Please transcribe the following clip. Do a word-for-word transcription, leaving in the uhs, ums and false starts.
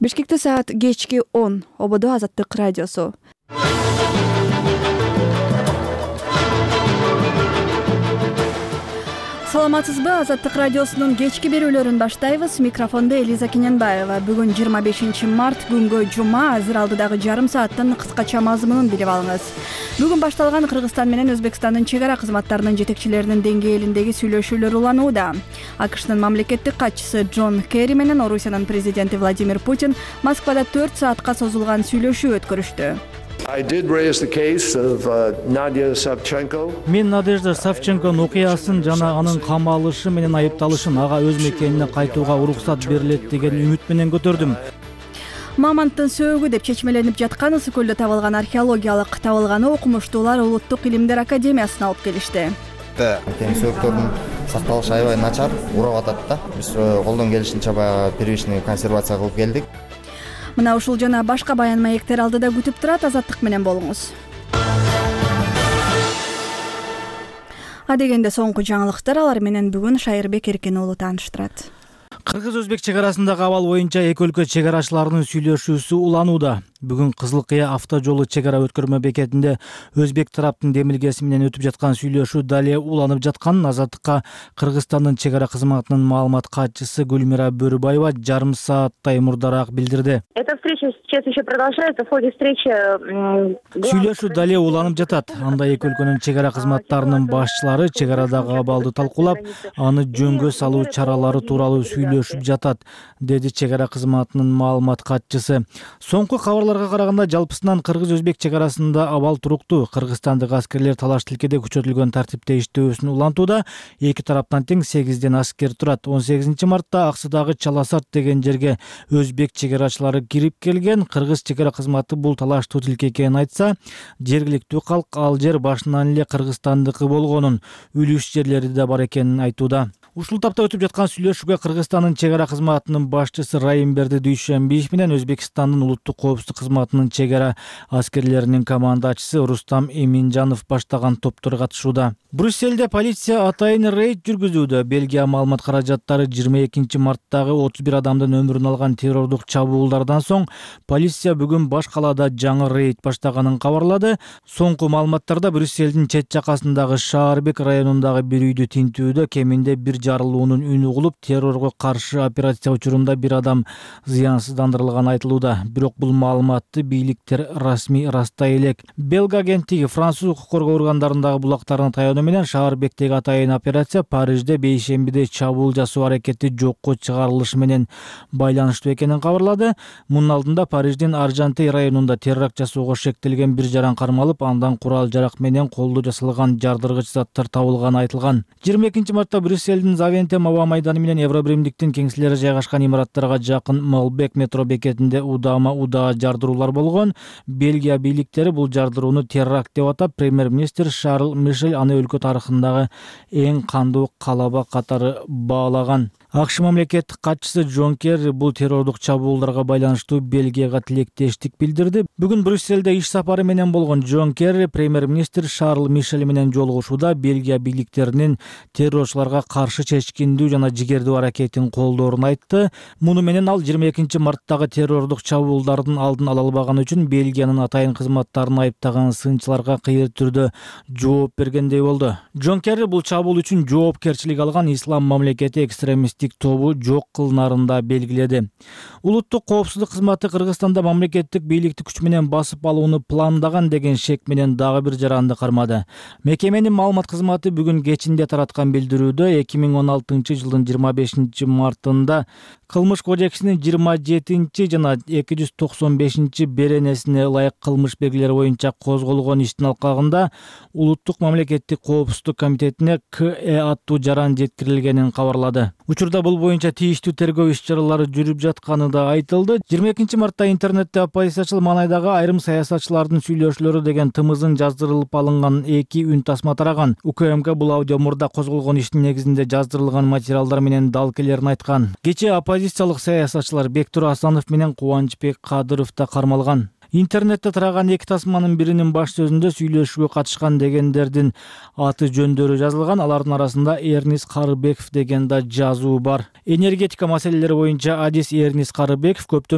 Бишкекте саат кечки он. Ободо Азаттык радиосу. Саламатсызбы? Азаттык радиосунун кечки берүүлөрүн баштайбыз. Микрофондо Элиза Кененбаева. Бүгүн жыйырма бешинчи март, күнгө жума. Азыр алдыдагы жарым сааттын кыскача мазмунун билип алыңыз. Бүгүн башталган Кыргызстан менен Өзбекстандын чек ара кызматтарынын жетекчилеринин деңгээлиндеги сүйлөшүүлөр уланууда. АКШнын мамлекеттик катчысы Джон Керри менен Орусиянын президенти Владимир Путин Москвада төрт саатка созулган сүйлөшүү өткөрүштү. Мен Надежда Савченконун окуясын жана анын камалышы менен айыпталышын ага өз мекенине кайтууга уруксат берилет деген үмүт менен көтөрдүм. Мамонттун сөөгү деп чечмеленип жаткан Ысык көлдө табылган археологиялык табылганы окумуштуулар Улуттук илимдер академиясына алып келишти. Тем сөөгүлөрдүн сакталышы аябай начар, урап атат да. Биз колдон келишинче баягы первичный консервация кылып келдик. Мына ушул жана башка баян маектер алдыда күтүп турат. Азаттык менен болуңуз. Адегенде соңку жаңылыктар, алар менен бүгүн Шайырбек Эркен уулу тааныштырат. Кыргыз-Өзбек чек арасындагы абал боюнча эки өлкө чек арачыларынын сүйлөшүүсү уланууда. Бүгүн Кызыл Кыя автожолу чек ара өткөрмө бекетинде Өзбек тараптын демилгеси менен өтүп жаткан сүйлөшүү дале уланып жатканын Азаттыкка Кыргызстандын чек ара кызматынын маалымат катчысы Гүлмира Бөрүбаева жарым сааттай мурдараак билдирди. Эта встреча сейчас еще продолжается. В ходе встречи сүйлөшүү дале уланып жатат. Анда эки өлкөнүн чек ара кызматтарынын башчылары чек арадагы абалды талкуулап, аны жөнгө салуу чаралары тууралуу сүйлөшүп жатат, деди чек ара кызматынын маалымат катчысы. Соңку кабарлар караганда жалпысынан Кыргыз-Өзбек чек арасында абал туруктуу. Кыргызстандык аскерлер талаш тилкеде күчөтүлгөн тартипте иштөөсүн улантууда. Эки тараптан тең сегизден аскер турат. он сегизинчи мартта Аксыдагы Чаласарт деген жерге Өзбек чек арачылары кирип келген. Кыргыз чек ара кызматы бул талаштуу тилке экенин айтса, жергиликтүү калк ал жер башынан эле Кыргызстандыкы болгонун, үлүш жерлери да бар экенин айтууда. Ушул тапта өтүп жаткан сүйлөшүүгө Кыргызстандын чек ара кызматынын башчысы Райымберди Дүйшөнбиев менен Өзбекстандын улуттук коопсуздук кызматынын чек ара аскерлеринин командачысы Рустам Эминжанов баштаган топтор катышууда. Брюссельде полиция атайын рейд жүргүзүүдө. Бельгия маалымат каражаттары жыйырма экинчи марттагы отуз бир адамдын өмүрүн алган террордук чабуулдардан соң полиция бүгүн баш калаада жаңы рейд баштаганын кабарлады. Соңку маалыматтарда Брюссельдин чет жакасындагы Шаарбек районундагы бир үйдү тинтүүдө кеминде бир жарылуунун үнү угулуп, террорго каршы операция учурунда бир адам зыянсыздандырылганы айтылууда. Бирок бул маалыматты бийликтер расмий растай элек. Белга агенттиги француз укук коргоо органдарындагы булактарына таянуу менен Шаарбектеги атайын операция Парижде бейшембиде чабуул жасоо аракети жокко чыгарылышы менен байланыштуу экенин кабарлады. Мунун алдында Париждин Аржантей районунда теракт жасоого шектелген бир жаран кармалып, андан курал жарак менен колдо жасалган жардыргыч заттар табылганы айтылган. жыйырма экинчи мартта Брюссельдин Завентем аба майданы менен Евробиримдиктин кеңселери жайгашкан имараттарга жакын Молбек метро бекетинде удама-удаа жардыруулар болгон. Бельгия бийликтери бул жардырууну теракт деп атап, премьер-министр Шарл Мишель аны өлкө тарыхындагы эң кандуу калаба катары баалаган. АКШ мамлекеттик катчысы Джон Керри бул террордук чабуулдарга байланыштуу Бельгияга тилектештик билдирди. Бүгүн Брюссельде иш сапары менен болгон Джон Керри премьер-министр Шарл Мишель менен жолугушууда Бельгия бийликтеринин террорчуларга каршы чечкиндүү жана жигердүү аракетин колдоорун айтты. Муну менен ал жыйырма экинчи марттагы террордук чабуулдардын алдын ала албаганы үчүн Бельгиянын атайын кызматтарын айыптаган сынчыларга кыйыр түрдө жооп бергендей болду. Джон Керри бул чабуул үчүн жоопкерчилик алган ислам мамлекети экстремисттик тобу жок кылынарын да белгиледи. Улуттук коопсуздук кызматы Кыргызстанда мамлекеттик бийликти күч менен басып алууну пландаган деген шек менен дагы бир жаранды кармады. Мекеменин маалымат кызматы бүгүн кечинде тараткан билдирүүдө эки миң он алтынчы жылдын жыйырма бешинчи мартында Кылмыш кодексинин жыйырма жетинчи жана эки жүз токсон бешинчи беренесине ылайык кылмыш белгилери боюнча козголгон иштин алкагында Улуттук мамлекеттик коопсуздук комитетине К Э аттуу жаран жеткирилгенин кабарлады. Учурда бул боюнча тийиштүү тергөө иш-чаралары жүрүп жатканы да айтылды. жыйырма экинчи мартта интернетте оппозициячыл маанайдагы айрым саясатчылардын сүйлөшүүлөрү деген тымызын жаздырылып алынган эки үн тасма тараган. УКМК бул аудио мурда козголгон иштин негизинде жаздырылган материалдар менен далилдерин айткан. Кечээ оппозициялык саясатчылар Бектур Асанов менен Кубанычбек Кадыров да кармалган. Интернетте тараган эки тасманын биринин баш сөзүндө сүйлөшүүгө катышкан дегендердин аты жөндөрү жазылган. Алардын арасында Эрнис Карыбеков деген да жазуу бар. Энергетика маселелери боюнча адис Эрнис Карыбеков көптөн